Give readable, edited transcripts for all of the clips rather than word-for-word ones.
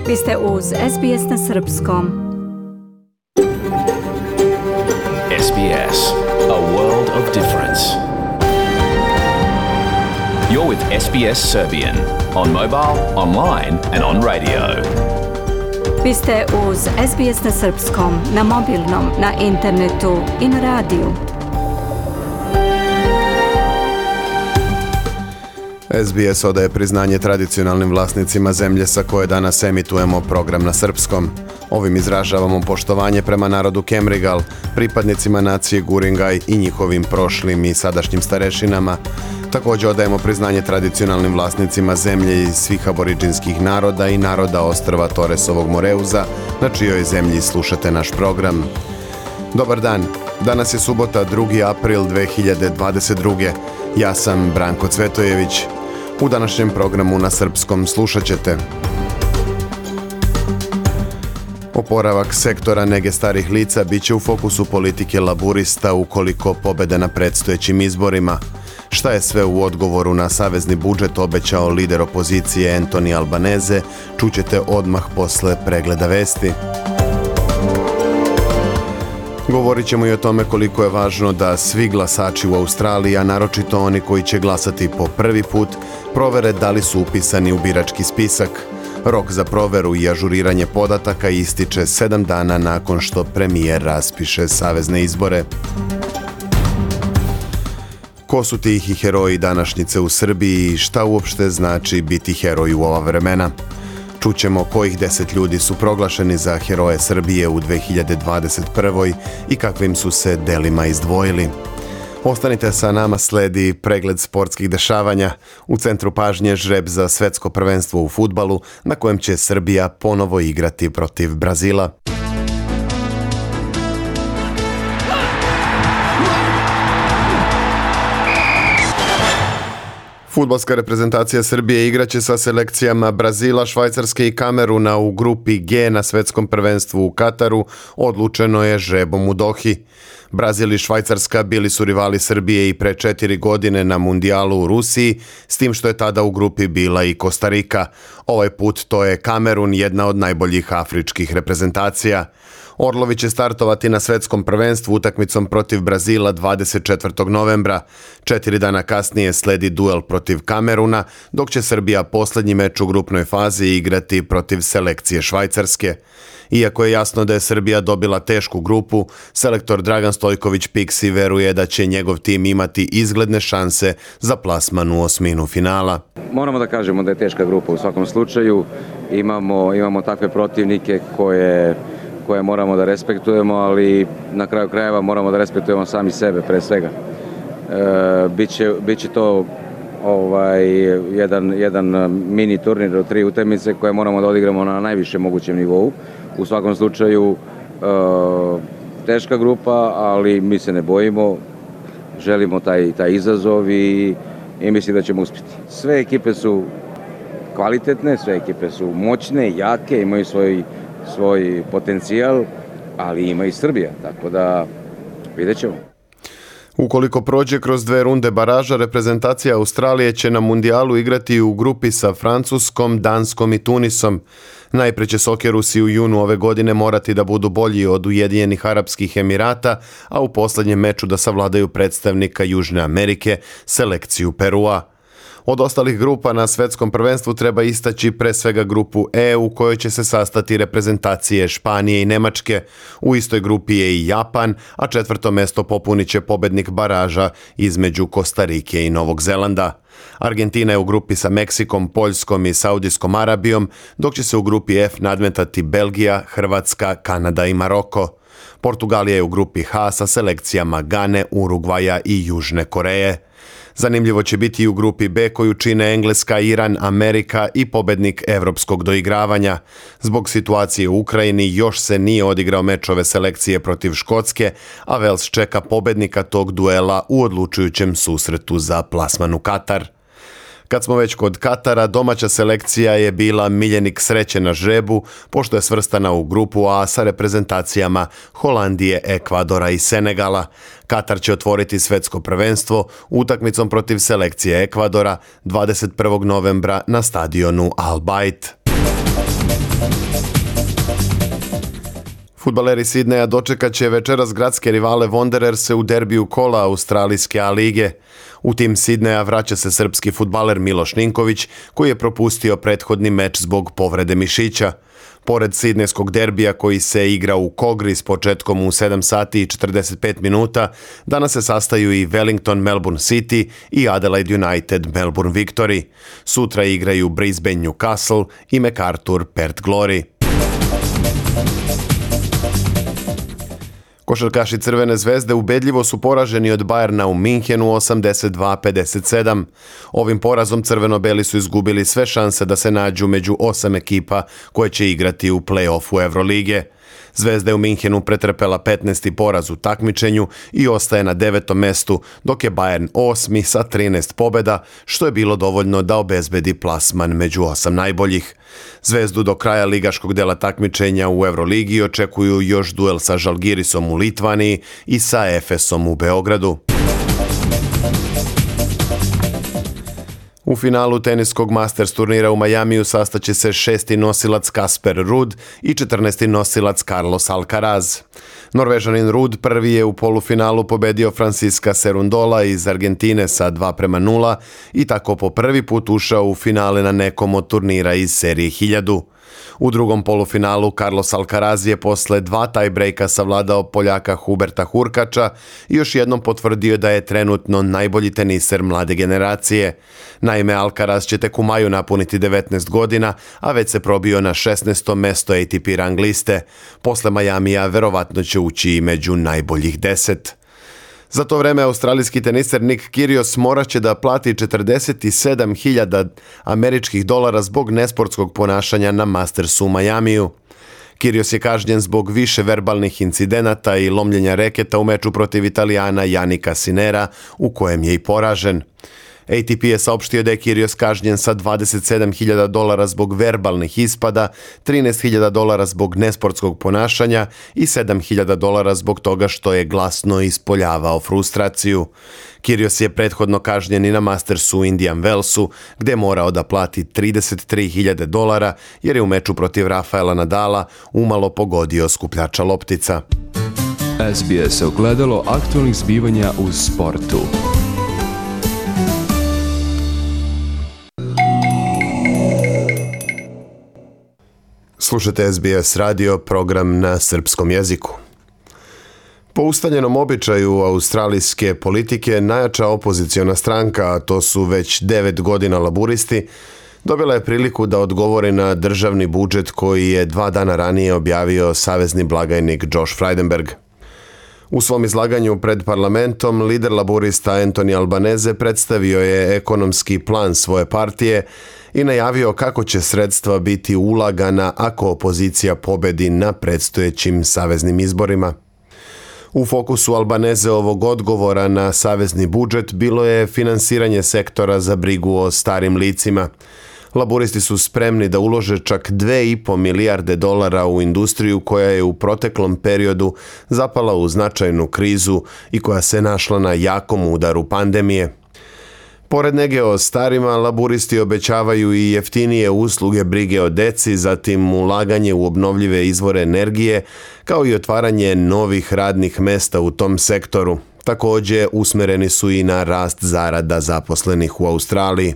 Vi ste uz SBS na Srpskom. SBS, a world of difference. You're with SBS Serbian on mobile, online and on radio. Vi ste uz SBS na Srpskom, na mobilnom, na internetu i na radiju. SBS odaje priznanje tradicionalnim vlasnicima zemlje sa koje danas emitujemo program na srpskom. Ovim izražavamo poštovanje prema narodu Kemrigal, pripadnicima nacije Guringaj i njihovim prošlim i sadašnjim starešinama. Također odajemo priznanje tradicionalnim vlasnicima zemlje iz svih aboriđinskih naroda i naroda ostrva Toresovog Moreuza, na čijoj zemlji slušate naš program. Dobar dan, danas je subota 2. april 2022. Ja sam Branko Cvetojević. U današnjem programu na srpskom slušat ćete: oporavak sektora nege starih lica bit će u fokusu politike laburista ukoliko pobede na predstojećim izborima. Šta je sve u odgovoru na savezni budžet obećao lider opozicije Anthony Albanese, čućete odmah posle pregleda vesti. Govorit ćemo i o tome koliko je važno da svi glasači u Australiji, a naročito oni koji će glasati po prvi put, provere da li su upisani u birački spisak. Rok za proveru i ažuriranje podataka ističe 7 dana nakon što premijer raspiše savezne izbore. Ko su tihi heroji današnjice u Srbiji i šta uopšte znači biti heroj u ova vremena? Čućemo kojih 10 ljudi su proglašeni za heroje Srbije u 2021. i kakvim su se delima izdvojili. Ostanite sa nama, sledi pregled sportskih dešavanja. U centru pažnje žreb za svetsko prvenstvo u fudbalu, na kojem će Srbija ponovo igrati protiv Brazila. Fudbalska reprezentacija Srbije igraće sa selekcijama Brazila, Švajcarske i Kameruna u grupi G na svetskom prvenstvu u Kataru, odlučeno je žrebom u Dohi. Brazil i Švajcarska bili su rivali Srbije i pre 4 godine na mundijalu u Rusiji, s tim što je tada u grupi bila i Kostarika. Ovaj put to je Kamerun, jedna od najboljih afričkih reprezentacija. Orlovi će startovati na svetskom prvenstvu utakmicom protiv Brazila 24. novembra. 4 dana kasnije sledi duel protiv Kameruna, dok će Srbija posljednji meč u grupnoj fazi igrati protiv selekcije Švajcarske. Iako je jasno da je Srbija dobila tešku grupu, selektor Dragan Stojković Piksi veruje da će njegov tim imati izgledne šanse za plasman u osminu finala. Moramo da kažemo da je teška grupa u svakom slučaju. Imamo takve protivnike koje moramo da respektujemo, ali na kraju krajeva moramo da respektujemo sami sebe pre svega. Biće to jedan mini turnir od 3 utakmice koje moramo da odigramo na najvišem mogućem nivou. U svakom slučaju teška grupa, ali mi se ne bojimo, želimo taj izazov i mislim da ćemo uspjeti. Sve ekipe su kvalitetne, sve ekipe su moćne, jake, imaju svoj potencijal, ali ima i Srbija, tako da vidjet ćemo. Ukoliko prođe kroz 2 runde baraža, reprezentacija Australije će na mundijalu igrati u grupi sa Francuskom, Danskom i Tunisom. Najpre će Sokerusi u junu ove godine morati da budu bolji od Ujedinjenih Arapskih Emirata, a u posljednjem meču da savladaju predstavnika Južne Amerike, selekciju Perua. Od ostalih grupa na svetskom prvenstvu treba istaći pre svega grupu E u kojoj će se sastati reprezentacije Španije i Nemačke. U istoj grupi je i Japan, a 4. mesto popunit će pobednik baraža između Kostarike i Novog Zelanda. Argentina je u grupi sa Meksikom, Poljskom i Saudijskom Arabijom, dok će se u grupi F nadmetati Belgija, Hrvatska, Kanada i Maroko. Portugalija je u grupi H sa selekcijama Gane, Urugvaja i Južne Koreje. Zanimljivo će biti i u grupi B koju čine Engleska, Iran, Amerika i pobednik evropskog doigravanja. Zbog situacije u Ukrajini još se nije odigrao meč ove selekcije protiv Škotske, a Wales čeka pobednika tog duela u odlučujućem susretu za plasman u Katar. Kad smo već kod Katara, domaća selekcija je bila miljenik sreće na žrebu, pošto je svrstana u grupu A sa reprezentacijama Holandije, Ekvadora i Senegala. Katar će otvoriti svetsko prvenstvo utakmicom protiv selekcije Ekvadora 21. novembra na stadionu Al Bayt. Fudbaleri Sidneja dočekat će večeras gradske rivale Wandererse u derbiju kola australijske A lige. U tim Sidneja vraća se srpski fudbaler Miloš Ninković, koji je propustio prethodni meč zbog povrede mišića. Pored sidnejskog derbija koji se igra u Kogri s početkom u 7 sati i 45 minuta, danas se sastaju i Wellington Melbourne City i Adelaide United Melbourne Victory. Sutra igraju Brisbane Newcastle i MacArthur Perth Glory. Košarkaši Crvene zvezde ubedljivo su poraženi od Bayerna u Minhenu 82-57. Ovim porazom crveno-beli su izgubili sve šanse da se nađu među 8 ekipa koje će igrati u play-offu Evrolige. Zvezda je u Minhenu pretrpela 15. poraz u takmičenju i ostaje na 9. mestu, dok je Bayern 8. sa 13 pobjeda, što je bilo dovoljno da obezbedi plasman među 8 najboljih. Zvezdu do kraja ligaškog dela takmičenja u Evroligi očekuju još duel sa Žalgirisom u Litvaniji i sa Efesom u Beogradu. U finalu teniskog Masters turnira u Majamiju sastaće se 6. nosilac Kasper Ruud i 14. nosilac Carlos Alcaraz. Norvežanin Ruud prvi je u polufinalu pobedio Francisca Cerundola iz Argentine sa 2:0 i tako po prvi put ušao u finale na nekom od turnira iz serije 1000. U drugom polufinalu Carlos Alcaraz je posle 2 tiebreaka savladao Poljaka Huberta Hurkača i još jednom potvrdio da je trenutno najbolji teniser mlade generacije. Naime, Alcaraz će tek u maju napuniti 19 godina, a već se probio na 16. mesto ATP rang liste. Posle Majamija verovatno će ući i među najboljih 10. Za to vreme australijski teniser Nick Kyrgios morat će da plati 47.000 američkih dolara zbog nesportskog ponašanja na Mastersu u Majamiju. Kyrgios je kažnjen zbog više verbalnih incidenata i lomljenja reketa u meču protiv Italijana Jannika Sinnera, u kojem je i poražen. ATP je saopštio da je Kyrgios kažnjen sa 27.000 dolara zbog verbalnih ispada, 13.000 dolara zbog nesportskog ponašanja i 7.000 dolara zbog toga što je glasno ispoljavao frustraciju. Kyrgios je prethodno kažnjen i na Mastersu u Indian Wellsu, gde je morao da plati 33.000 dolara jer je u meču protiv Rafaela Nadala umalo pogodio skupljača loptica. SBS ogledalo aktualnih zbivanja u sportu. Slušate SBS radio, program na srpskom jeziku. Po ustaljenom običaju australijske politike, najjača opoziciona stranka, a to su već 9 godina laburisti, dobila je priliku da odgovori na državni budžet koji je 2 dana ranije objavio savezni blagajnik Josh Frydenberg. U svom izlaganju pred parlamentom, lider laburista Anthony Albanese predstavio je ekonomski plan svoje partije i najavio kako će sredstva biti ulagana ako opozicija pobedi na predstojećim saveznim izborima. U fokusu Albaneseovog odgovora na savezni budžet bilo je finansiranje sektora za brigu o starim licima. Laburisti su spremni da ulože čak 2,5 milijarde dolara u industriju koja je u proteklom periodu zapala u značajnu krizu i koja se našla na jakom udaru pandemije. Pored nege o starima, laburisti obećavaju i jeftinije usluge brige o deci, zatim ulaganje u obnovljive izvore energije, kao i otvaranje novih radnih mesta u tom sektoru. Također usmereni su i na rast zarada zaposlenih u Australiji.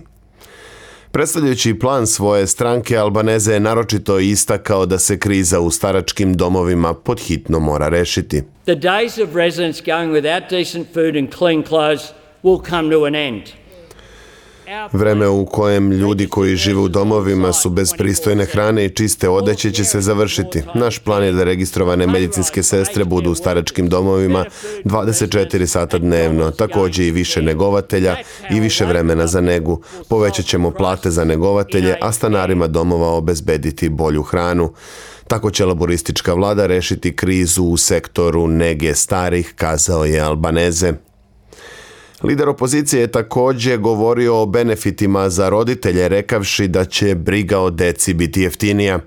Predstavljajući plan svoje stranke, Albanese je naročito istakao da se kriza u staračkim domovima podhitno mora rešiti. The days of residents going without decent food and clean clothes will come to an end. Vreme u kojem ljudi koji žive u domovima su bez pristojne hrane i čiste odeće će se završiti. Naš plan je da registrovane medicinske sestre budu u staračkim domovima 24 sata dnevno, također i više negovatelja i više vremena za negu. Povećat ćemo plate za negovatelje, a stanarima domova obezbediti bolju hranu. Tako će laboristička vlada rešiti krizu u sektoru nege starih, kazao je Albanese. Lider opozicije je također govorio o benefitima za roditelje, rekavši da će briga o deci biti jeftinija.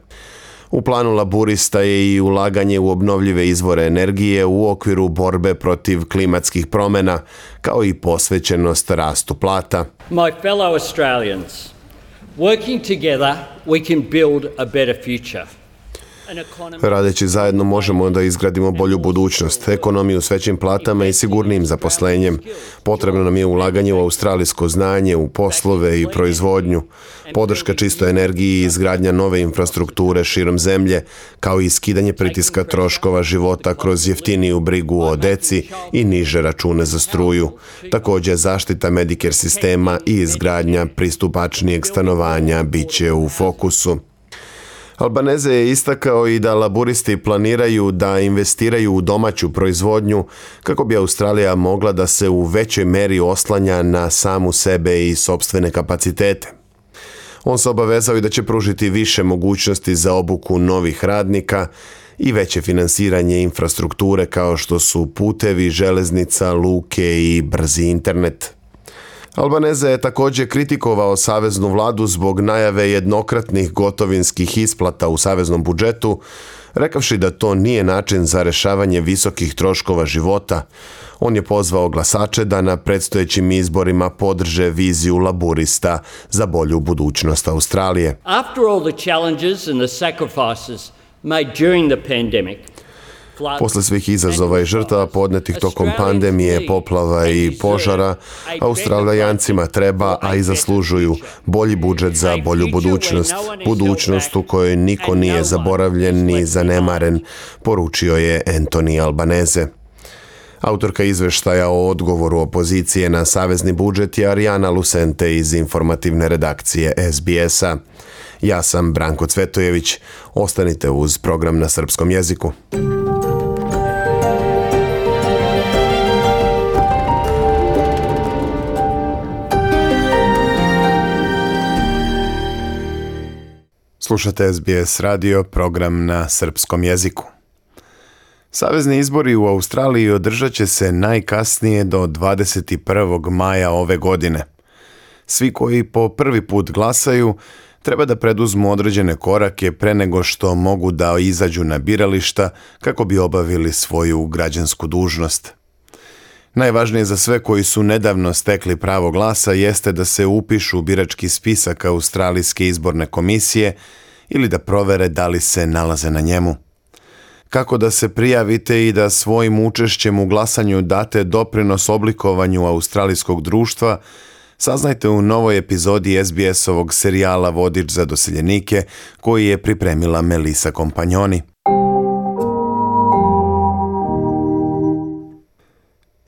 U planu laburista je i ulaganje u obnovljive izvore energije u okviru borbe protiv klimatskih promjena, kao i posvećenost rastu plata. My fellow Australians, working together we can build a better future. Radeći zajedno možemo da izgradimo bolju budućnost, ekonomiju s većim platama i sigurnijim zaposlenjem. Potrebno nam je ulaganje u australijsko znanje, u poslove i proizvodnju, podrška čistoj energiji i izgradnja nove infrastrukture širom zemlje, kao i skidanje pritiska troškova života kroz jeftiniju brigu o deci i niže račune za struju. Također, zaštita Medicare sistema i izgradnja pristupačnijeg stanovanja bit će u fokusu. Albanese je istakao i da laburisti planiraju da investiraju u domaću proizvodnju kako bi Australija mogla da se u većoj meri oslanja na samu sebe i sopstvene kapacitete. On se obavezao i da će pružiti više mogućnosti za obuku novih radnika i veće finansiranje infrastrukture kao što su putevi, železnica, luke i brzi internet. Albanese je također kritikovao saveznu vladu zbog najave jednokratnih gotovinskih isplata u saveznom budžetu, rekavši da to nije način za rešavanje visokih troškova života. On je pozvao glasače da na predstojećim izborima podrže viziju laburista za bolju budućnost Australije. After all the challenges and the sacrifices made during the pandemic, Posle svih izazova i žrtava podnetih tokom pandemije, poplava i požara, Australijancima treba, a i zaslužuju, bolji budžet za bolju budućnost. Budućnost u kojoj niko nije zaboravljen ni zanemaren, poručio je Anthony Albanese. Autorka izveštaja o odgovoru opozicije na savezni budžet je Arijana Lucente iz informativne redakcije SBS-a. Ja sam Branko Cvetojević. Ostanite uz program na srpskom jeziku. Slušate SBS radio, program na srpskom jeziku. Savezni izbori u Australiji održat će se najkasnije do 21. maja ove godine. Svi koji po prvi put glasaju treba da preduzmu određene korake pre nego što mogu da izađu na birališta kako bi obavili svoju građansku dužnost. Najvažnije za sve koji su nedavno stekli pravo glasa jeste da se upišu u birački spisak Australijske izborne komisije ili da provere da li se nalaze na njemu. Kako da se prijavite i da svojim učešćem u glasanju date doprinos oblikovanju australijskog društva, saznajte u novoj epizodi SBS-ovog serijala Vodič za doseljenike koji je pripremila Melissa Kompanjoni.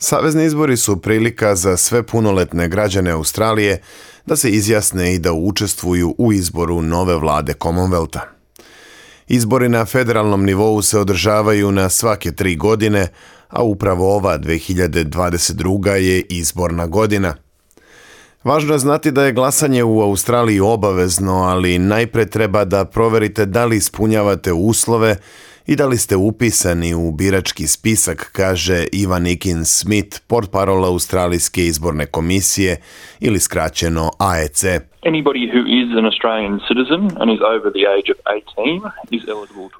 Savezni izbori su prilika za sve punoletne građane Australije da se izjasne i da učestvuju u izboru nove vlade Commonwealtha. Izbori na federalnom nivou se održavaju na svake 3 godine, a upravo ova 2022. je izborna godina. Važno je znati da je glasanje u Australiji obavezno, ali najpre treba da proverite da li ispunjavate uslove i da li ste upisani u birački spisak, kaže Ivan Ikins-Smith, portparol Australijske izborne komisije ili skraćeno AEC.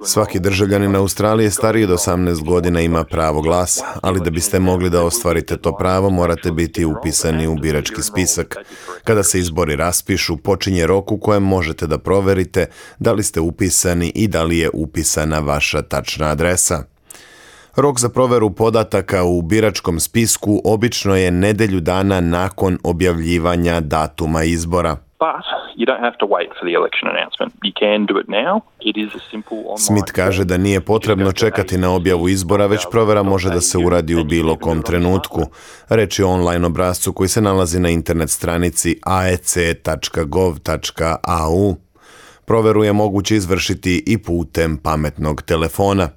Svaki državljanin Australije stariji od 18 godina ima pravo glasa, ali da biste mogli da ostvarite to pravo morate biti upisani u birački spisak. Kada se izbori raspišu, počinje rok u kojem možete da proverite da li ste upisani i da li je upisana vaša tačna adresa. Rok za proveru podataka u biračkom spisku obično je nedelju dana nakon objavljivanja datuma izbora. Smith kaže da nije potrebno čekati na objavu izbora, već provera može da se uradi u bilo kom trenutku. Reč je o online obrascu koji se nalazi na internet stranici aec.gov.au. Proveru je moguće izvršiti i putem pametnog telefona.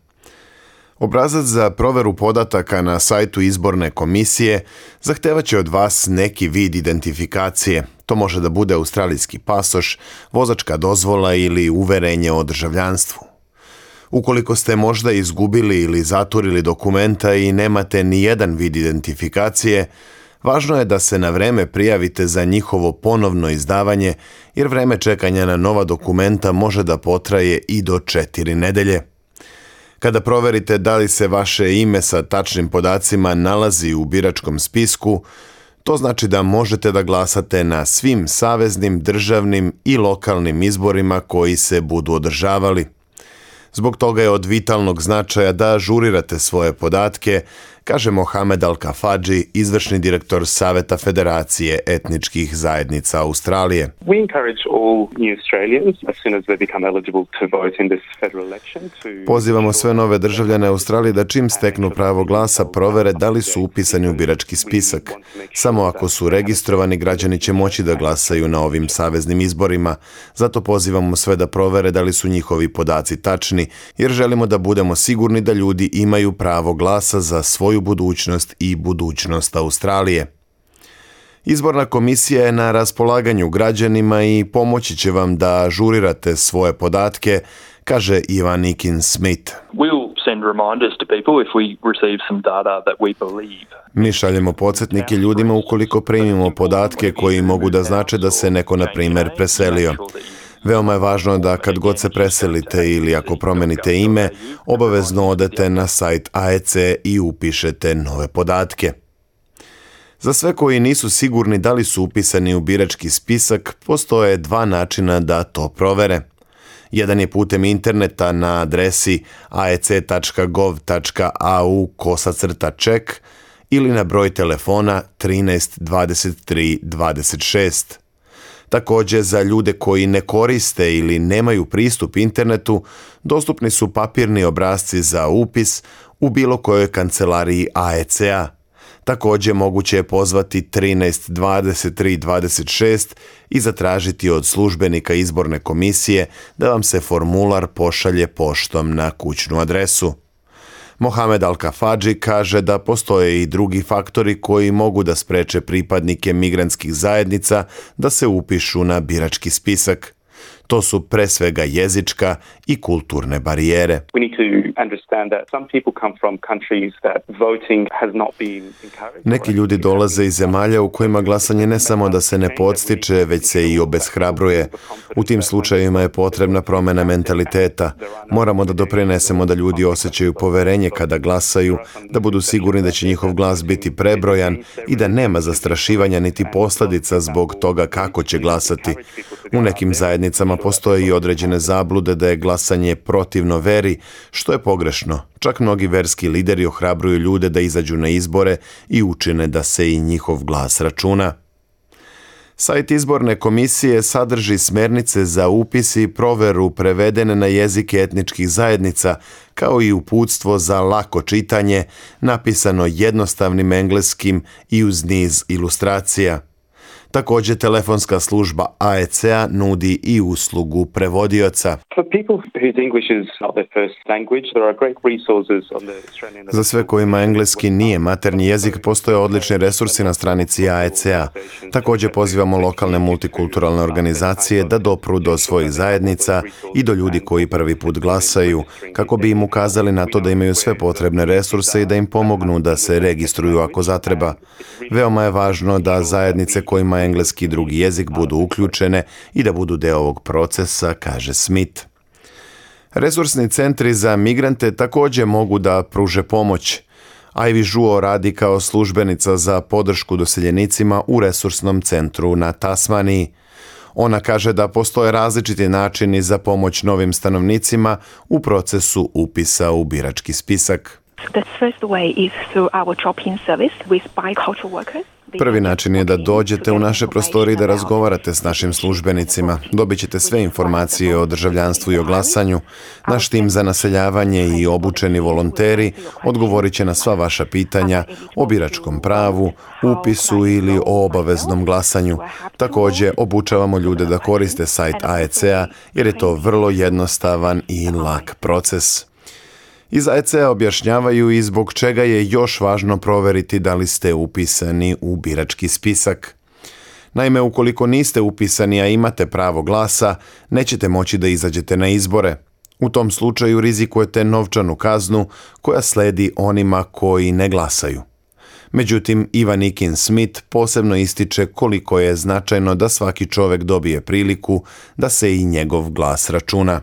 Obrazac za proveru podataka na sajtu izborne komisije zahtevaće od vas neki vid identifikacije. To može da bude australijski pasoš, vozačka dozvola ili uverenje o državljanstvu. Ukoliko ste možda izgubili ili zaturili dokumenta i nemate ni jedan vid identifikacije, važno je da se na vreme prijavite za njihovo ponovno izdavanje, jer vreme čekanja na nova dokumenta može da potraje i do 4 nedelje. Kada proverite da li se vaše ime sa tačnim podacima nalazi u biračkom spisku, to znači da možete da glasate na svim saveznim, državnim i lokalnim izborima koji se budu održavali. Zbog toga je od vitalnog značaja da ažurirate svoje podatke, kaže Mohamed Al-Kafadži, izvršni direktor Saveta Federacije etničkih zajednica Australije. We encourage all new Australians, as soon as they become eligible to vote in this federal election, Pozivamo sve nove državljane Australije da čim steknu pravo glasa provere da li su upisani u birački spisak. Samo ako su registrovani, građani će moći da glasaju na ovim saveznim izborima. Zato pozivamo sve da provere da li su njihovi podaci tačni, jer želimo da budemo sigurni da ljudi imaju pravo glasa za svoju budućnost i budućnost Australije. Izborna komisija je na raspolaganju građanima i pomoći će vam da ažurirate svoje podatke, kaže Ivan Nikin-Smith. Mi šaljemo podsjetnike ljudima ukoliko primimo podatke koji mogu da znače da se neko, na primjer, preselio. Veoma je važno da kad god se preselite ili ako promenite ime, obavezno odete na sajt AEC i upišete nove podatke. Za sve koji nisu sigurni da li su upisani u birački spisak, postoje dva načina da to provere. Jedan je putem interneta na adresi aec.gov.au/check ili na broj telefona 13 23 26. Također, za ljude koji ne koriste ili nemaju pristup internetu, dostupni su papirni obrasci za upis u bilo kojoj kancelariji AEC-a. Također, moguće je pozvati 13 23 26 i zatražiti od službenika izborne komisije da vam se formular pošalje poštom na kućnu adresu. Mohamed Al-Kafadži kaže da postoje i drugi faktori koji mogu da spreče pripadnike migrantskih zajednica da se upišu na birački spisak. To su pre svega jezička i kulturne barijere. Neki ljudi dolaze iz zemalja u kojima glasanje ne samo da se ne podstiče, već se i obeshrabruje. U tim slučajevima je potrebna promjena mentaliteta. Moramo da doprinesemo da ljudi osjećaju poverenje kada glasaju, da budu sigurni da će njihov glas biti prebrojan i da nema zastrašivanja niti posljedica zbog toga kako će glasati. U nekim zajednicama postoje i određene zablude da je glasanje protivno veri, što je pogrešno. Čak mnogi verski lideri ohrabruju ljude da izađu na izbore i učine da se i njihov glas računa. Sajt izborne komisije sadrži smernice za upis i proveru prevedene na jezike etničkih zajednica, kao i uputstvo za lako čitanje, napisano jednostavnim engleskim i uz niz ilustracija. Također, telefonska služba AEC-a nudi i uslugu prevodioca. Za sve kojima engleski nije maternji jezik, postoje odlični resursi na stranici AEC-a. Također pozivamo lokalne multikulturalne organizacije da dopru do svojih zajednica i do ljudi koji prvi put glasaju, kako bi im ukazali na to da imaju sve potrebne resurse i da im pomognu da se registruju ako zatreba. Veoma je važno da zajednice kojima engleski i drugi jezik budu uključene i da budu deo ovog procesa, kaže Smith. Resursni centri za migrante također mogu da pruže pomoć. Ivy Žuo radi kao službenica za podršku doseljenicima u resursnom centru na Tasmaniji. Ona kaže da postoje različiti načini za pomoć novim stanovnicima u procesu upisa u birački spisak. Prvi način je da dođete u naše prostorije i da razgovarate s našim službenicima. Dobit ćete sve informacije o državljanstvu i o glasanju. Naš tim za naseljavanje i obučeni volonteri odgovorit će na sva vaša pitanja o biračkom pravu, upisu ili o obaveznom glasanju. Također, obučavamo ljude da koriste sajt AEC-a jer je to vrlo jednostavan i lak proces. Iz AEC-a objašnjavaju i zbog čega je još važno proveriti da li ste upisani u birački spisak. Naime, ukoliko niste upisani, a imate pravo glasa, nećete moći da izađete na izbore. U tom slučaju rizikujete novčanu kaznu koja sledi onima koji ne glasaju. Međutim, Ivan Nikin-Smith posebno ističe koliko je značajno da svaki čovjek dobije priliku da se i njegov glas računa.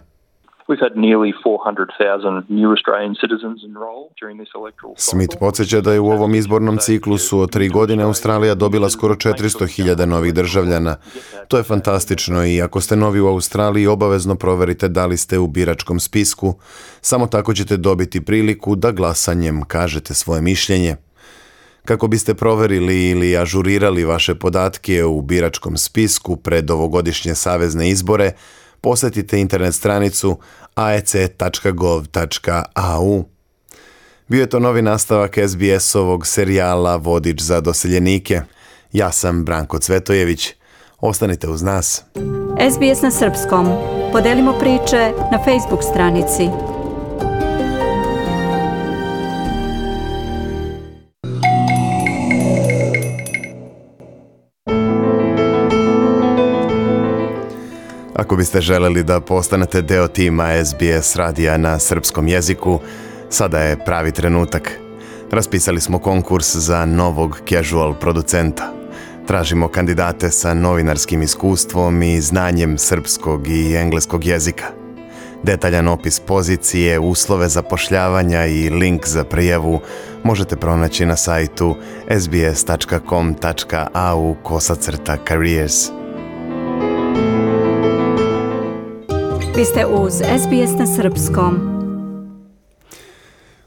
We've had nearly 400,000 new Australian citizens enroll during this electoral cycle. Smith podsjeća da je u ovom izbornom ciklusu od 3 godine Australija dobila skoro 400.000 novih državljana. To je fantastično i ako ste novi u Australiji, obavezno proverite da li ste u biračkom spisku. Samo tako ćete dobiti priliku da glasanjem kažete svoje mišljenje. Kako biste proverili ili ažurirali vaše podatke u biračkom spisku pred ovogodišnje savezne izbore, posjetite internet stranicu aec.gov.au. Bio je to novi nastavak SBS-ovog serijala Vodič za doseljenike. Ja sam Branko Cvetojević. Ostanite uz nas. SBS na srpskom. Podelimo priče na Facebook stranici. Ako biste želeli da postanete deo tima SBS radija na srpskom jeziku, sada je pravi trenutak. Raspisali smo konkurs za novog casual producenta. Tražimo kandidate sa novinarskim iskustvom i znanjem srpskog i engleskog jezika. Detaljan opis pozicije, uslove zapošljavanja i link za prijavu možete pronaći na sajtu sbs.com.au/careers. Vi ste uz SBS na srpskom.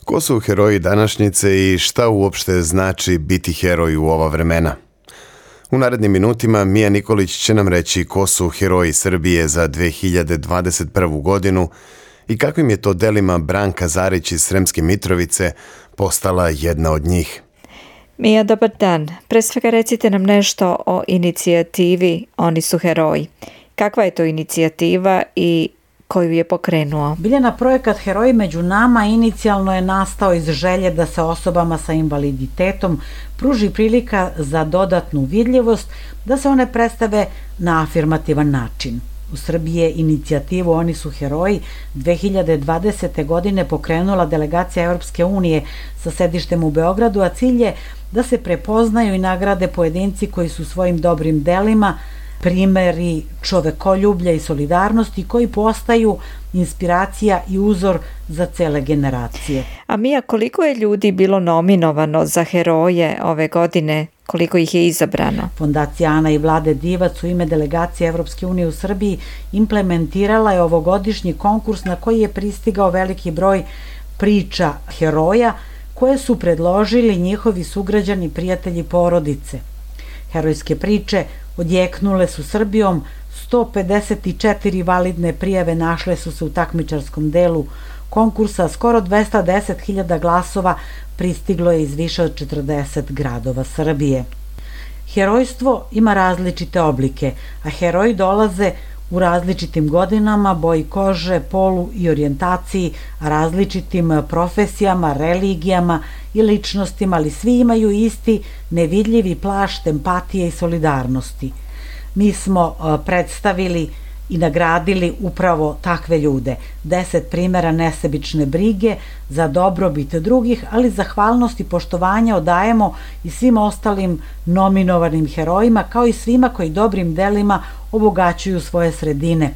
Ko su heroji današnjice i šta uopšte znači biti heroj u ova vremena? U narednim minutima Mija Nikolić će nam reći ko su heroji Srbije za 2021. godinu i kakvim je to delima Branka Zarić iz Sremske Mitrovice postala jedna od njih. Mija, dobar dan. Pre svega recite nam nešto o inicijativi Oni su heroji. Kakva je to inicijativa i koju je pokrenuo? Biljana, projekat Heroji među nama inicijalno je nastao iz želje da se osobama sa invaliditetom pruži prilika za dodatnu vidljivost, da se one predstave na afirmativan način. U Srbiji je inicijativu Oni su heroji 2020. godine pokrenula delegacija Evropske unije sa sedištem u Beogradu, a cilj je da se prepoznaju i nagrade pojedinci koji su svojim dobrim delima primeri čovekoljublja i solidarnosti koji postaju inspiracija i uzor za cele generacije. A Mija, koliko je ljudi bilo nominovano za heroje ove godine? Koliko ih je izabrano? Fondacija Ana i Vlade Divac u ime delegacije Evropske unije u Srbiji implementirala je ovogodišnji konkurs na koji je pristigao veliki broj priča heroja koje su predložili njihovi sugrađani, prijatelji, porodice. Herojske priče odjeknule su Srbijom, 154 validne prijave našle su se u takmičarskom delu konkursa, skoro 210.000 glasova pristiglo je iz više od 40 gradova Srbije. Herojstvo ima različite oblike, a heroji dolaze u različitim godinama, boji kože, polu i orijentaciji, različitim profesijama, religijama i ličnostima, ali svi imaju isti nevidljivi plašt empatije i solidarnosti. Mi smo predstavili i nagradili upravo takve ljude. 10 primjera nesebične brige za dobrobit drugih, ali zahvalnost i poštovanje odajemo i svim ostalim nominovanim herojima, kao i svima koji dobrim delima obogaćuju svoje sredine.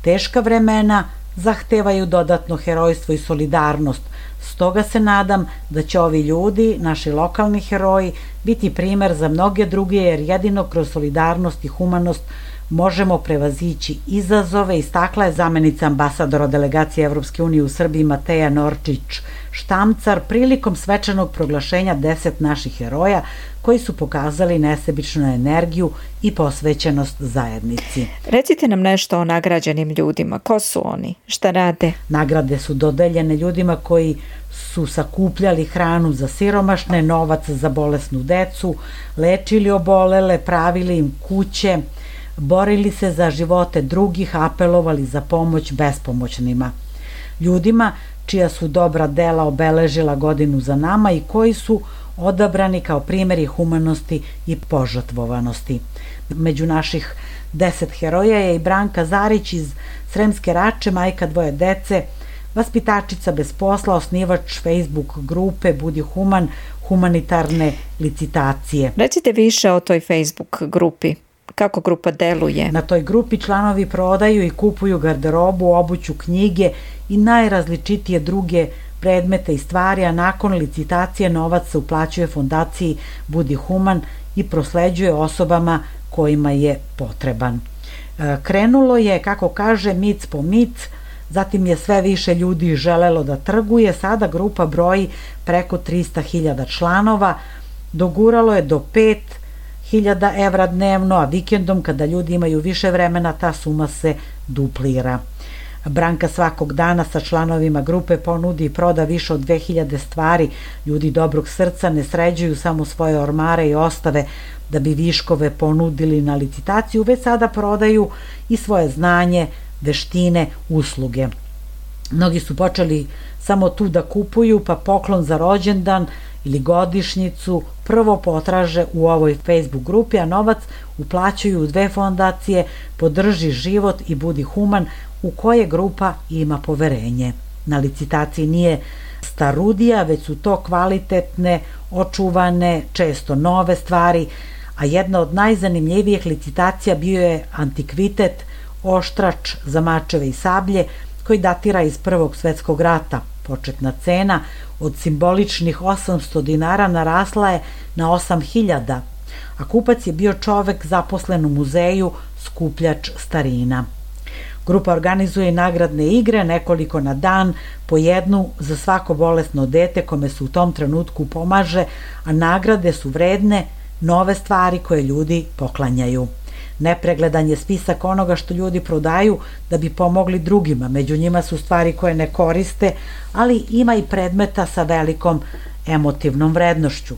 Teška vremena zahtevaju dodatno herojstvo i solidarnost. Stoga se nadam da će ovi ljudi, naši lokalni heroji, biti primer za mnoge druge, jer jedino kroz solidarnost i humanost možemo prevazići izazove, istakla je zamenica ambasadora delegacije Evropske unije u Srbiji Mateja Norčić-Štamcar prilikom svečanog proglašenja 10 naših heroja koji su pokazali nesebičnu energiju i posvećenost zajednici. Recite nam nešto o nagrađenim ljudima. Ko su oni? Šta rade? Nagrade su dodeljene ljudima koji su sakupljali hranu za siromašne, novac za bolesnu decu, lečili obolele, pravili im kuće, borili se za živote drugih, apelovali za pomoć bespomoćnima. Ljudima čija su dobra dela obeležila godinu za nama i koji su odabrani kao primjeri humanosti i požrtvovanosti. Među naših 10 heroja je i Branka Zarić iz Sremske Rače, majka 2 dece, vaspitačica bez posla, osnivač Facebook grupe Budi human, humanitarne licitacije. Recite više o toj Facebook grupi. kako grupa deluje? Na toj grupi članovi prodaju i kupuju garderobu, obuću, knjige i najrazličitije druge predmete i stvari, a nakon licitacije novac se uplaćuje fondaciji Budi Human i prosleđuje osobama kojima je potreban. Krenulo je, kako kaže, mic po mic, zatim je sve više ljudi želelo da trguje, sada grupa broji preko 300.000 članova, doguralo je do 5.000 evra dnevno, a vikendom kada ljudi imaju više vremena ta suma se duplira. Branka svakog dana sa članovima grupe ponudi i proda više od 2000 stvari. Ljudi dobrog srca ne sređuju samo svoje ormare i ostave da bi viškove ponudili na licitaciju, već sada prodaju i svoje znanje, veštine, usluge. Mnogi su počeli samo tu da kupuju, pa poklon za rođendan ili godišnjicu prvo potraže u ovoj Facebook grupi, a novac uplaćuju u 2 fondacije Podrži život i Budi Human, u koje grupa ima poverenje. Na licitaciji nije starudija, već su to kvalitetne, očuvane, često nove stvari, a jedna od najzanimljivijih licitacija bio je antikvitet oštrač za mačeve i sablje koji datira iz Prvog svetskog rata. Početna cena od simboličnih 800 dinara narasla je na 8.000, a kupac je bio čovek zaposlen u muzeju, skupljač starina. Grupa organizuje i nagradne igre, nekoliko na dan, po jednu za svako bolesno dete kome se u tom trenutku pomaže, a nagrade su vredne nove stvari koje ljudi poklanjaju. Nepregledan je spisak onoga što ljudi prodaju da bi pomogli drugima. Među njima su stvari koje ne koriste, ali ima i predmeta sa velikom emotivnom vrednošću.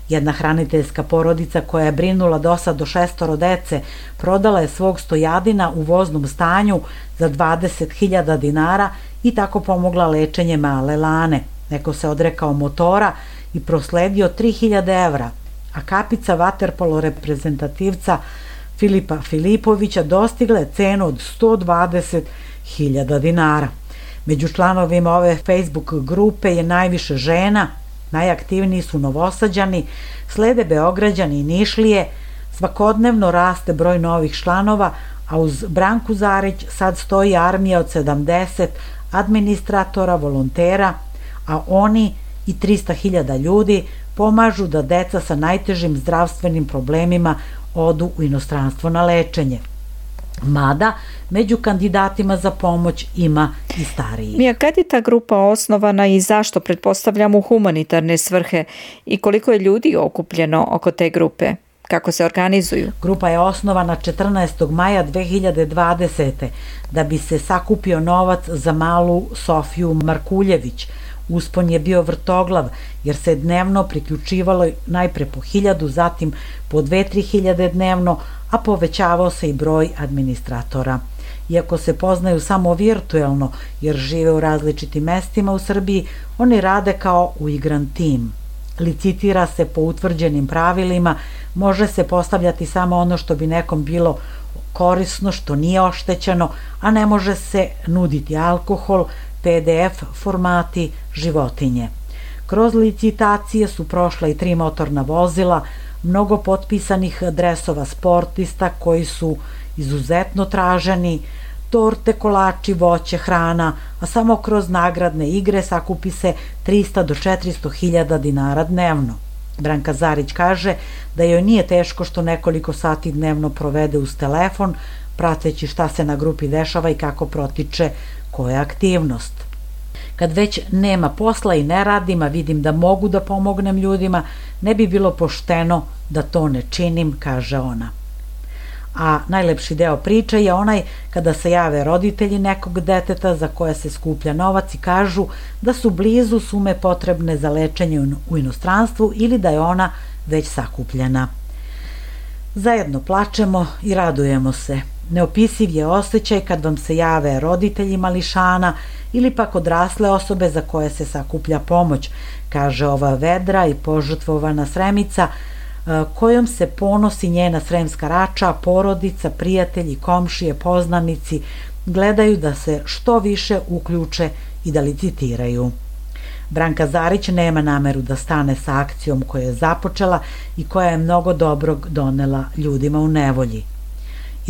Jedna hraniteljska porodica koja je brinula dosad do 6 dece prodala je svog stojadina u voznom stanju za 20.000 dinara i tako pomogla lečenje male Lane. Neko se odrekao motora i prosledio 3.000 evra, a kapica vaterpolo reprezentativca Filipa Filipovića dostigla je cenu od 120.000 dinara. Među članovima ove Facebook grupe je najviše žena, najaktivniji su Novosađani, slede Beograđani i Nišlije, svakodnevno raste broj novih članova, a uz Branku Zarić sad stoji armija od 70 administratora, volontera, a oni i 300.000 ljudi pomažu da deca sa najtežim zdravstvenim problemima odu u inostranstvo na lečenje. Mada, među kandidatima za pomoć ima i stariji. Mija, kad je ta grupa osnovana i zašto, pretpostavljam, u humanitarne svrhe, i koliko je ljudi okupljeno oko te grupe? Kako se organizuju? Grupa je osnovana 14. maja 2020. da bi se sakupio novac za malu Sofiju Markuljević. Uspon je bio vrtoglav, jer se dnevno priključivalo najpre po 1000, zatim po 2-3 dnevno, a povećavao se i broj administratora. Iako se poznaju samo virtuelno, jer žive u različitim mestima u Srbiji, oni rade kao uigran tim. Licitira se po utvrđenim pravilima, može se postavljati samo ono što bi nekom bilo korisno, što nije oštećeno, a ne može se nuditi alkohol, PDF formati, životinje. Kroz licitacije su prošla i 3 motorna vozila, mnogo potpisanih dresova sportista koji su izuzetno traženi, torte, kolači, voće, hrana, a samo kroz nagradne igre sakupi se 300 do 400.000 dinara dnevno. Branka Zarić kaže da joj nije teško što nekoliko sati dnevno provede uz telefon, prateći šta se na grupi dešava i kako protiče koja aktivnost. Kad već nema posla i ne radim, a vidim da mogu da pomognem ljudima, ne bi bilo pošteno da to ne činim, kaže ona. A najlepši deo priče je onaj kada se jave roditelji nekog deteta za koje se skuplja novac i kažu da su blizu sume potrebne za lečenje u inostranstvu ili da je ona već sakupljena. Zajedno plačemo i radujemo se. Neopisiv je osjećaj kad vam se jave roditelji mališana ili pak odrasle osobe za koje se sakuplja pomoć, kaže ova vedra i požrtvovana Sremica, kojom se ponosi njena Sremska Rača, porodica, prijatelji, komšije, poznanici, gledaju da se što više uključe i da licitiraju. Branka Zarić nema nameru da stane sa akcijom koja je započela i koja je mnogo dobrog donela ljudima u nevolji.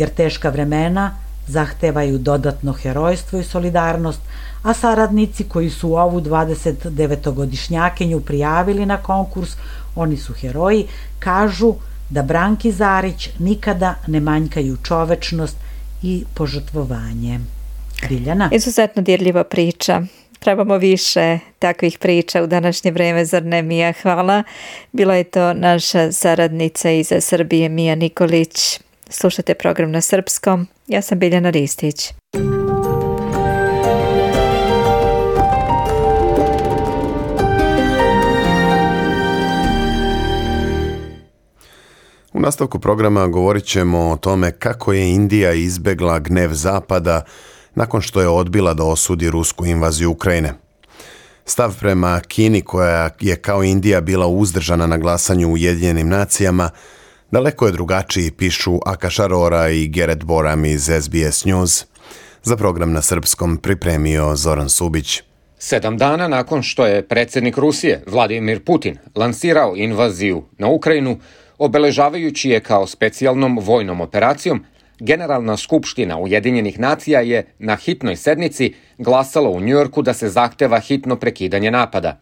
jer teška vremena zahtevaju dodatno herojstvo i solidarnost, a saradnici koji su ovu 29-godišnjakinju prijavili na konkurs, oni su heroji, kažu da Branki Zarić nikada ne manjkaju čovečnost i požrtvovanje. Biljana? Izuzetno dirljiva priča. Trebamo više takvih priča u današnje vreme, zar ne, Mija? Hvala. Bila je to naša saradnica iz Srbije, Mija Nikolić. Slušate program na srpskom. Ja sam Biljana Ristić. U nastavku programa govorit ćemo o tome kako je Indija izbegla gnev Zapada nakon što je odbila da osudi rusku invaziju Ukrajine. Stav prema Kini, koja je kao Indija bila uzdržana na glasanju u Ujedinjenim nacijama, daleko je drugačiji, pišu Akaš Arora i Geret Boram iz SBS News. Za program na srpskom pripremio Zoran Subić. 7 dana nakon što je predsjednik Rusije, Vladimir Putin, lansirao invaziju na Ukrajinu, obeležavajući je kao specijalnom vojnom operacijom, Generalna skupština Ujedinjenih nacija je na hitnoj sednici glasala u Njujorku da se zahteva hitno prekidanje napada.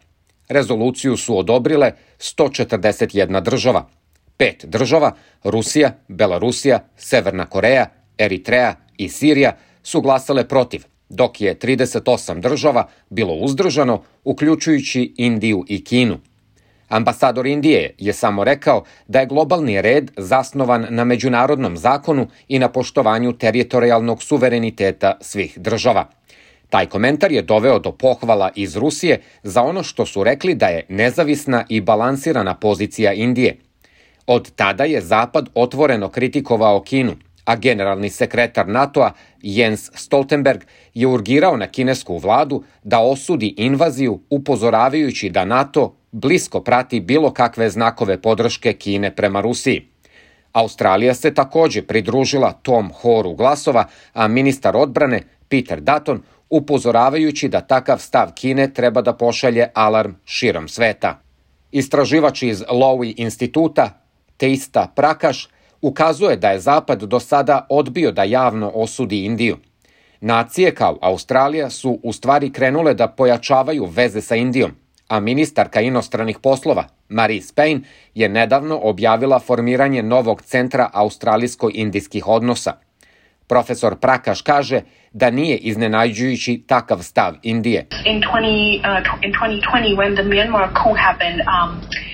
Rezoluciju su odobrile 141 država. 5 država, Rusija, Belarusija, Severna Koreja, Eritreja i Sirija, su glasale protiv, dok je 38 država bilo uzdržano, uključujući Indiju i Kinu. Ambasador Indije je samo rekao da je globalni red zasnovan na međunarodnom zakonu i na poštovanju teritorijalnog suvereniteta svih država. Taj komentar je doveo do pohvala iz Rusije za ono što su rekli da je nezavisna i balansirana pozicija Indije. Od tada je Zapad otvoreno kritikovao Kinu, a generalni sekretar NATO-a Jens Stoltenberg je urgirao na kinesku vladu da osudi invaziju, upozoravajući da NATO blisko prati bilo kakve znakove podrške Kine prema Rusiji. Australija se također pridružila tom horu glasova, a ministar odbrane Peter Dutton upozoravajući da takav stav Kine treba da pošalje alarm širom sveta. Istraživač iz Lowy instituta Teista Prakash ukazuje da je Zapad do sada odbio da javno osudi Indiju. Nacije kao Australija su u stvari krenule da pojačavaju veze sa Indijom, a ministarka inostranih poslova Marise Payne je nedavno objavila formiranje novog centra australijsko-indijskih odnosa. Profesor Prakash kaže da nije iznenađujući takav stav Indije.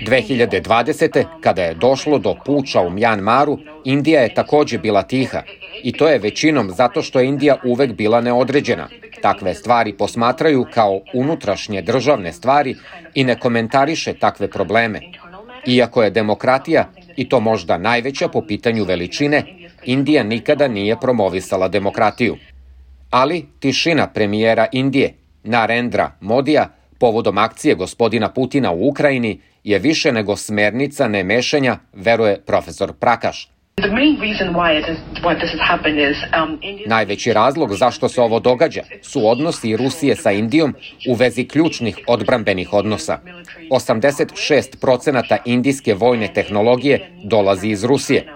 2020. kada je došlo do puča u Mjanmaru, Indija je također bila tiha. I to je većinom zato što je Indija uvek bila neodređena. Takve stvari posmatraju kao unutrašnje državne stvari i ne komentariše takve probleme. Iako je demokratija, i to možda najveća po pitanju veličine, Indija nikada nije promovisala demokratiju. Ali tišina premijera Indije, Narendra Modija, povodom akcije gospodina Putina u Ukrajini, je više nego smernica nemešanja, veruje profesor Prakash. Najveći razlog zašto se ovo događa su odnosi Rusije sa Indijom u vezi ključnih odbrambenih odnosa. 86% indijske vojne tehnologije dolazi iz Rusije.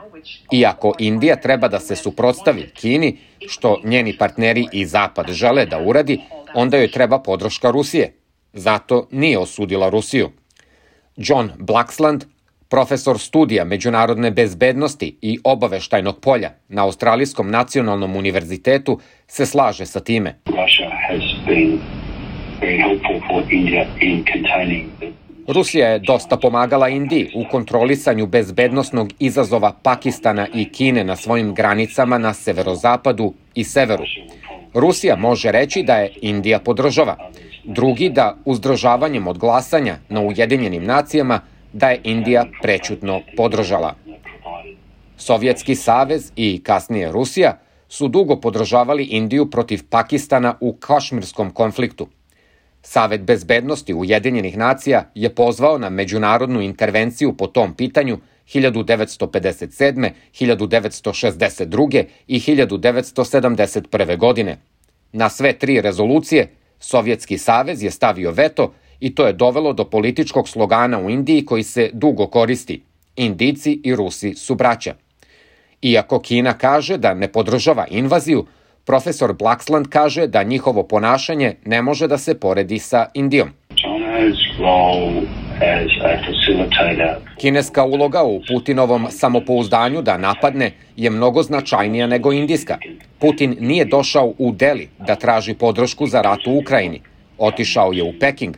Iako Indija treba da se suprotstavi Kini, što njeni partneri i Zapad žele da uradi, onda joj treba podrška Rusije. Zato nije osudila Rusiju. John Blaxland, profesor studija međunarodne bezbednosti i obaveštajnog polja na Australijskom nacionalnom univerzitetu, se slaže sa time. Rusija je dosta pomagala Indiji u kontrolisanju bezbednosnog izazova Pakistana i Kine na svojim granicama na severozapadu i severu. Rusija može reći da je Indija podržava, drugi da uzdržavanjem od glasanja na Ujedinjenim nacijama da je Indija prećutno podržala. Sovjetski savez i kasnije Rusija su dugo podržavali Indiju protiv Pakistana u kašmirskom konfliktu. Savet bezbednosti Ujedinjenih nacija je pozvao na međunarodnu intervenciju po tom pitanju 1957., 1962. i 1971. godine. Na sve 3 rezolucije Sovjetski savez je stavio veto i to je dovelo do političkog slogana u Indiji koji se dugo koristi. Indijci i Rusi su braća. Iako Kina kaže da ne podržava invaziju, profesor Blaxland kaže da njihovo ponašanje ne može da se poredi sa Indijom. Kineska uloga u Putinovom samopouzdanju da napadne je mnogo značajnija nego indijska. Putin nije došao u Deli da traži podršku za rat u Ukrajini. Otišao je u Peking.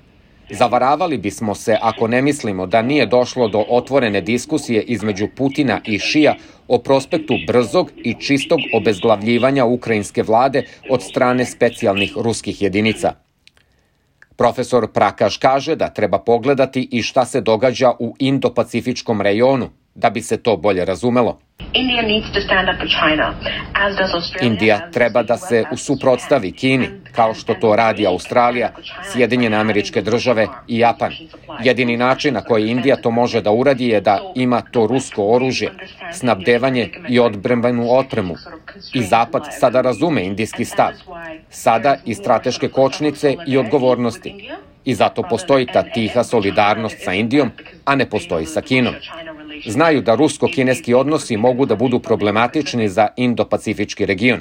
Zavaravali bismo se ako ne mislimo da nije došlo do otvorene diskusije između Putina i Šija o prospektu brzog i čistog obezglavljivanja ukrajinske vlade od strane specijalnih ruskih jedinica. Profesor Prakaš kaže da treba pogledati i šta se događa u Indo-Pacifičkom rejonu, da bi se to bolje razumelo. Indija treba da se suprotstavi Kini, kao što to radi Australija, Sjedinjene Američke Države i Japan. Jedini način na koji Indija to može da uradi je da ima to rusko oružje, snabdevanje i odbrambenu opremu. I Zapad sada razume indijski stav. Sada i strateške kočnice i odgovornosti. I zato postoji ta tiha solidarnost sa Indijom, a ne postoji sa Kinom. Znaju da rusko-kineski odnosi mogu da budu problematični za Indo-Pacifički region.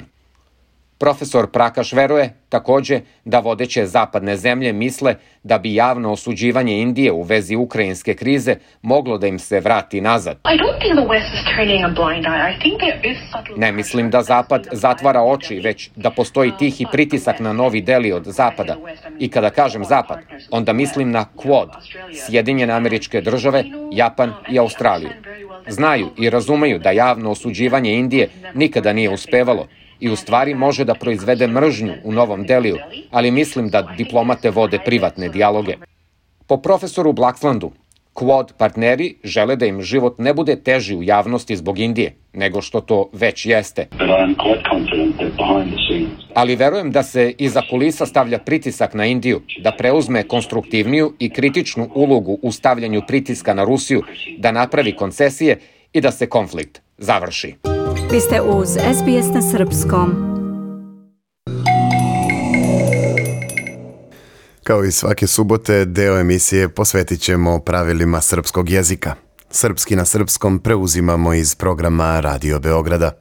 Profesor Prakaš veruje takođe da vodeće zapadne zemlje misle da bi javno osuđivanje Indije u vezi ukrajinske krize moglo da im se vrati nazad. Ne mislim da Zapad zatvara oči, već da postoji tihi pritisak na Novi Deli od Zapada. I kada kažem Zapad, onda mislim na Quad, Sjedinjene Američke Države, Japan i Australiju. Znaju i razumeju da javno osuđivanje Indije nikada nije uspevalo i u stvari može da proizvede mržnju u Novom Deliju, ali mislim da diplomate vode privatne dijaloge. Po profesoru Blaxlandu, Quad partneri žele da im život ne bude teži u javnosti zbog Indije, nego što to već jeste. Ali verujem da se iza kulisa stavlja pritisak na Indiju, da preuzme konstruktivniju i kritičnu ulogu u stavljanju pritiska na Rusiju, da napravi koncesije i da se konflikt završi. Vi ste uz SBS na srpskom. Kao i svake subote, deo emisije posvetit ćemo pravilima srpskog jezika. Srpski na srpskom preuzimamo iz programa Radio Beograda.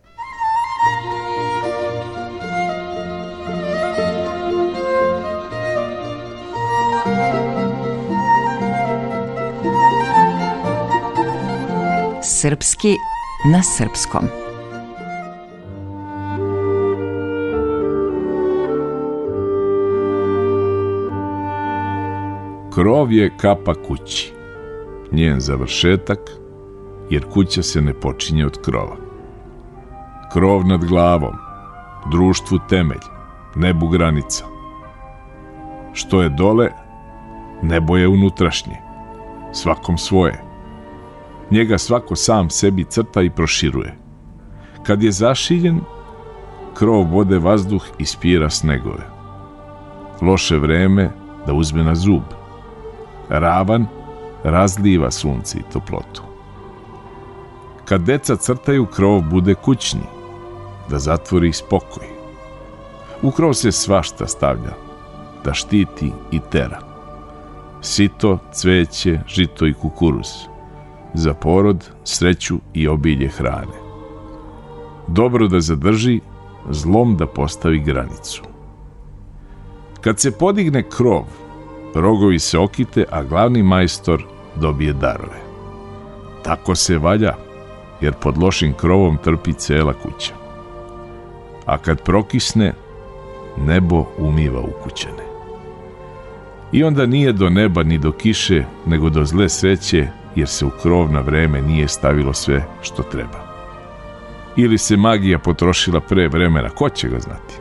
Srpski na srpskom. Krov je kapa kući, njen završetak, jer kuća se ne počinje od krova. Krov nad glavom, društvu temelj, nebu granica. Što je dole, nebo je unutrašnje, svakom svoje. Njega svako sam sebi crta i proširuje. Kad je zašiljen, krov vode vazduh i spira snegove. Loše vreme da uzme na zub. Ravan razliva sunce i toplotu. Kad deca crtaju, krov bude kućni, da zatvori spokoj. U krov se svašta stavlja, da štiti i tera. Sito, cveće, žito i kukuruz. Za porod, sreću i obilje hrane. Dobro da zadrži, zlom da postavi granicu. Kad se podigne krov, rogovi se okite, a glavni majstor dobije darove. Tako se valja, jer pod lošim krovom trpi cela kuća. A kad prokisne, nebo umiva ukućane. I onda nije do neba ni do kiše, nego do zle sreće, jer se u krov na vreme nije stavilo sve što treba. Ili se magija potrošila pre vremena, ko će ga znati?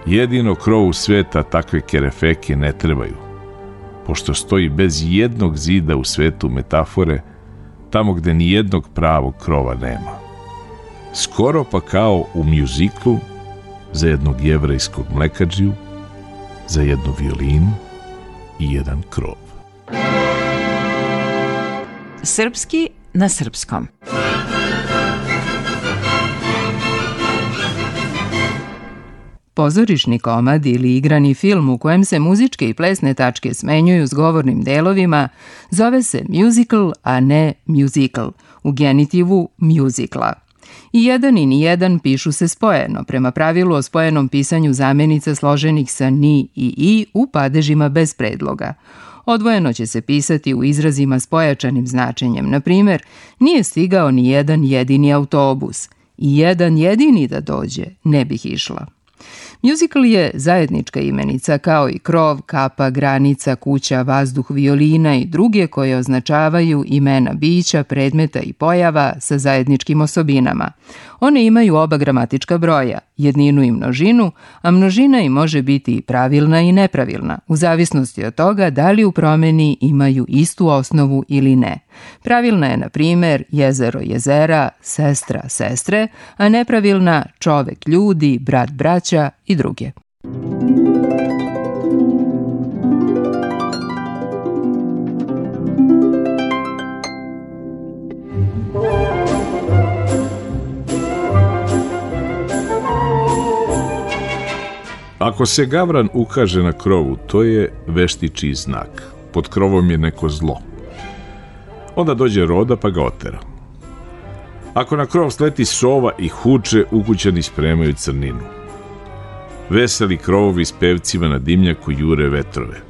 Jedino krovu sveta takve kerefeke ne trebaju, pošto stoji bez jednog zida u svetu metafore, tamo gde ni jednog pravog krova nema. Skoro pa kao u mjuziklu za jednog jevrejskog mlekadžiju, za jednu violinu i jedan krov. Srpski na srpskom. Pozorišni komad ili igrani film u kojem se muzičke i plesne tačke smenjuju s govornim delovima zove se musical, a ne musical, u genitivu musicala. I jedan i nijedan pišu se spojeno, prema pravilu o spojenom pisanju zamenica složenih sa ni i u padežima bez predloga. Odvojeno će se pisati u izrazima s pojačanim značenjem. Na primjer, nije stigao ni jedan jedini autobus. I jedan jedini da dođe, ne bih išla. Musical je zajednička imenica kao i krov, kapa, granica, kuća, vazduh, violina i druge koje označavaju imena bića, predmeta i pojava sa zajedničkim osobinama. One imaju oba gramatička broja, jedninu i množinu, a množina im može biti i pravilna i nepravilna, u zavisnosti od toga da li u promeni imaju istu osnovu ili ne. Pravilna je, na primjer, jezero, jezera, sestra, sestre, a nepravilna čovek, ljudi, brat, braća i druge. Ako se gavran ukaže na krovu, to je veštičiji znak. Pod krovom je neko zlo. Onda dođe roda pa ga otera. Ako na krov sleti sova i huče, ukućani spremaju crninu. Veseli krovovi s pevcima na dimnjaku jure vetrove.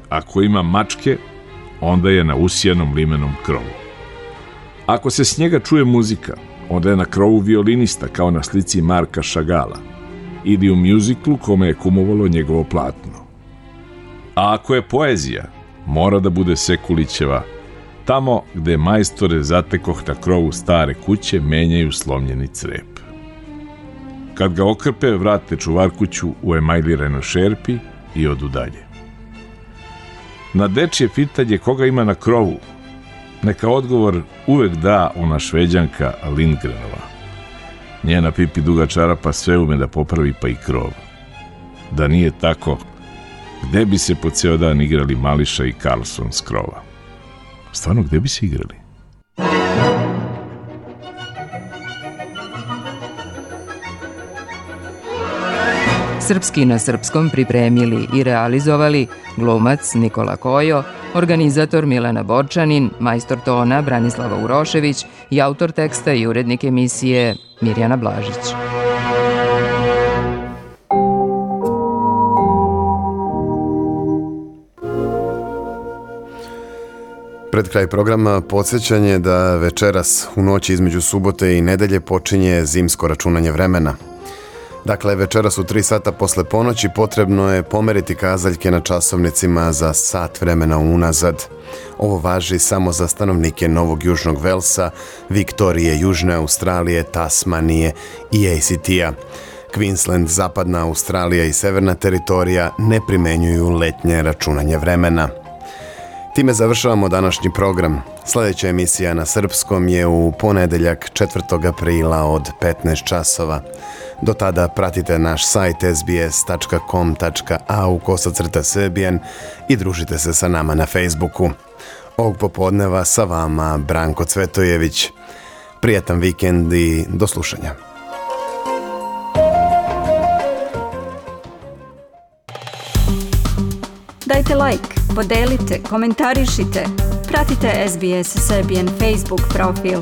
Ako ima mačke, onda je na usijanom limenom krovu. Ako se s njega čuje muzika, onda je na krovu violinista kao na slici Marka Šagala ili u mjuziklu kome je kumovalo njegovo platno. A ako je poezija, mora da bude Sekulićeva. Tamo gde majstore zatekoh na krovu stare kuće menjaju slomljeni crep. Kad ga okrpe, vrate čuvarkuću u emajliranoj šerpi i odu dalje. Na dečje pitanje koga ima na krovu, neka odgovor uvek da ona Šveđanka Lindgrenova. Njena pipi duga čarapa sve ume da popravi pa i krov. Da nije tako, gde bi se po ceo dan igrali Mališa i Carlson s krova? Stvarno, gde bi se igrali? Srpski na srpskom pripremili i realizovali glumac Nikola Kojo, organizator Milena Borčanin, majstor tona Branislava Urošević i autor teksta i urednik emisije Mirjana Blažić. Pred kraj programa podsjećanje da večeras u noći između subote i nedelje počinje zimsko računanje vremena. Dakle, večeras u 3 sata posle ponoći potrebno je pomeriti kazaljke na časovnicima za sat vremena unazad. Ovo važi samo za stanovnike Novog Južnog Velsa, Viktorije, Južne Australije, Tasmanije i ACT-a. Queensland, Zapadna Australija i Severna teritorija ne primenjuju letnje računanje vremena. Time završavamo današnji program. Sljedeća emisija na srpskom je u ponedeljak 4. aprila od 15 časova. Do tada pratite naš sajt sbs.com.au/Serbian i družite se sa nama na Facebooku. Ovog popodneva sa vama Branko Cvetojević. Prijatan vikend i do slušanja. Dajte like, podelite, komentarišite. Pratite SBS Serbian Facebook profil.